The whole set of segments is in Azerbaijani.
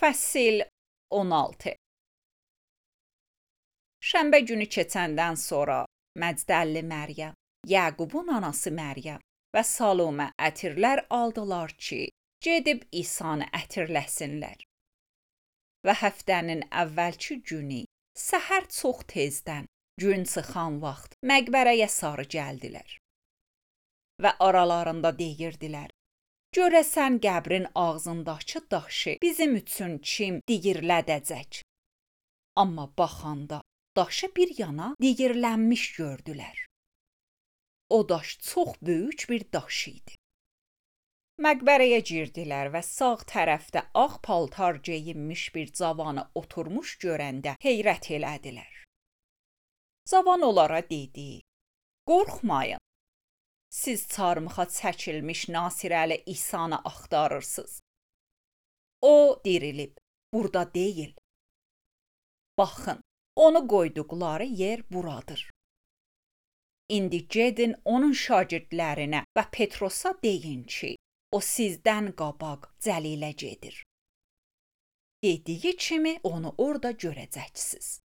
Fəsil 16. Şənbə günü keçəndən sonra Məcdəlli Məryəm, Yaqubun anası Məryəm və Salomə ətirlər aldılar ki, gedib İsanı ətirləsinlər. Və həftənin əvvəlki günü səhər çox tezdən, gün çıxan vaxt məqbərəyə sarı gəldilər. Və aralarında deyirdilər, görəsən qəbrin ağzındakı daşı bizim üçün kim digirlədəcək? Amma baxanda daşı bir yana digirlənmiş gördülər. O daş çox böyük bir daş idi. Məqbərəyə girdilər və sağ tərəfdə ağ paltar geyinmiş bir cavanı oturmuş görəndə heyrət elədilər. Cavan onlara dedi, qorxmayın. Siz çarmıxa çəkilmiş Nasirəli İsanı axtarırsınız. O dirilib, burada deyil. Baxın, onu qoyduqları yer buradır. İndi gedin onun şagirdlərinə və Petrosa deyin ki, o sizdən qabaq Cəlilə gedir. Dediyi kimi onu orada görəcəksiniz.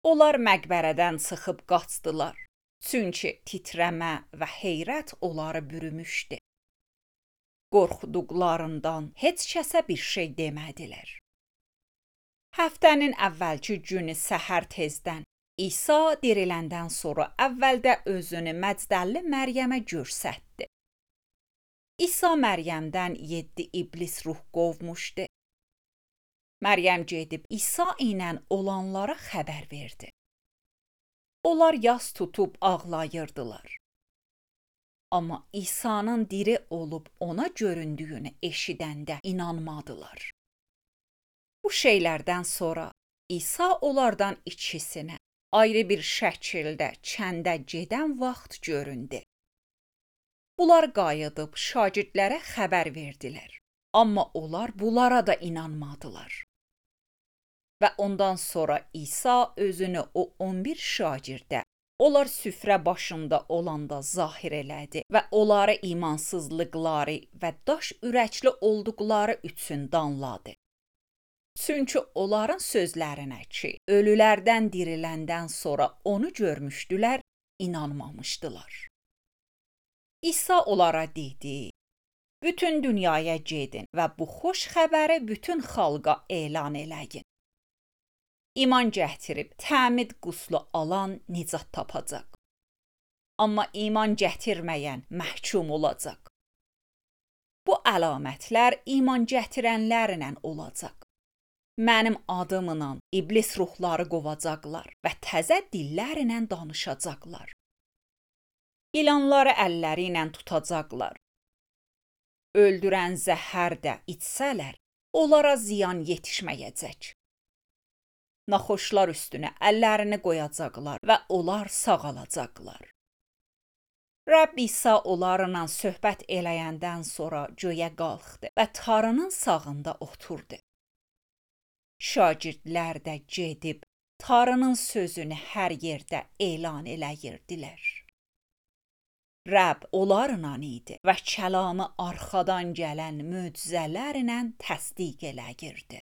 Onlar məqbərədən çıxıb qaçdılar. Çünki titrəmə və heyrət onları bürümüşdü. Qorxduqlarından heç kəsə bir şey demədilər. Həftənin əvvəlki günü səhər tezdən İsa diriləndən sonra əvvəldə özünü Məcdəlli Məryəmə göstərdi. İsa Məryəmdən 7 iblis ruh qovmuşdu. Məryəm gedib İsa ilə olanlara xəbər verdi. Onlar yas tutub ağlayırdılar. Amma İsa'nın diri olub ona göründüyünü eşidəndə inanmadılar. Bu şeylərdən sonra İsa onlardan ikisinə ayrı bir şəkildə kəndə gedən vaxt göründü. Bunlar qayıdıb şagirdlərə xəbər verdilər. Amma onlar bunlara da inanmadılar. Və ondan sonra İsa özünü o 11 şagirdə, onlar süfrə başında olanda zahir elədi və onları imansızlıqları və daş ürəkli olduqları üçün danladı. Çünki onların sözlərinə ki, ölülərdən diriləndən sonra onu görmüşdülər, inanmamışdılar. İsa onlara dedi, bütün dünyaya gedin və bu xoş xəbəri bütün xalqa elan eləyin. İman gətirib təmid quslu alan nicat tapacaq. Amma iman gətirməyən məhkum olacaq. Bu əlamətlər iman gətirənlərlə olacaq. Mənim adımla iblis ruhları qovacaqlar və təzə dillərlə danışacaqlar. İlanları əlləri ilə tutacaqlar. Öldürən zəhər də içsələr, onlara ziyan yetişməyəcək. Naxoşlar üstünə əllərini qoyacaqlar və onlar sağalacaqlar. Rəbb İsa onlarla söhbət eləyəndən sonra göyə qalxdı və tarının sağında oturdu. Şagirdlər də gedib tarının sözünü hər yerdə elan eləyirdilər. Rəbb onlarla idi və kəlamı arxadan gələn möcüzələrlə təsdiq eləyirdi.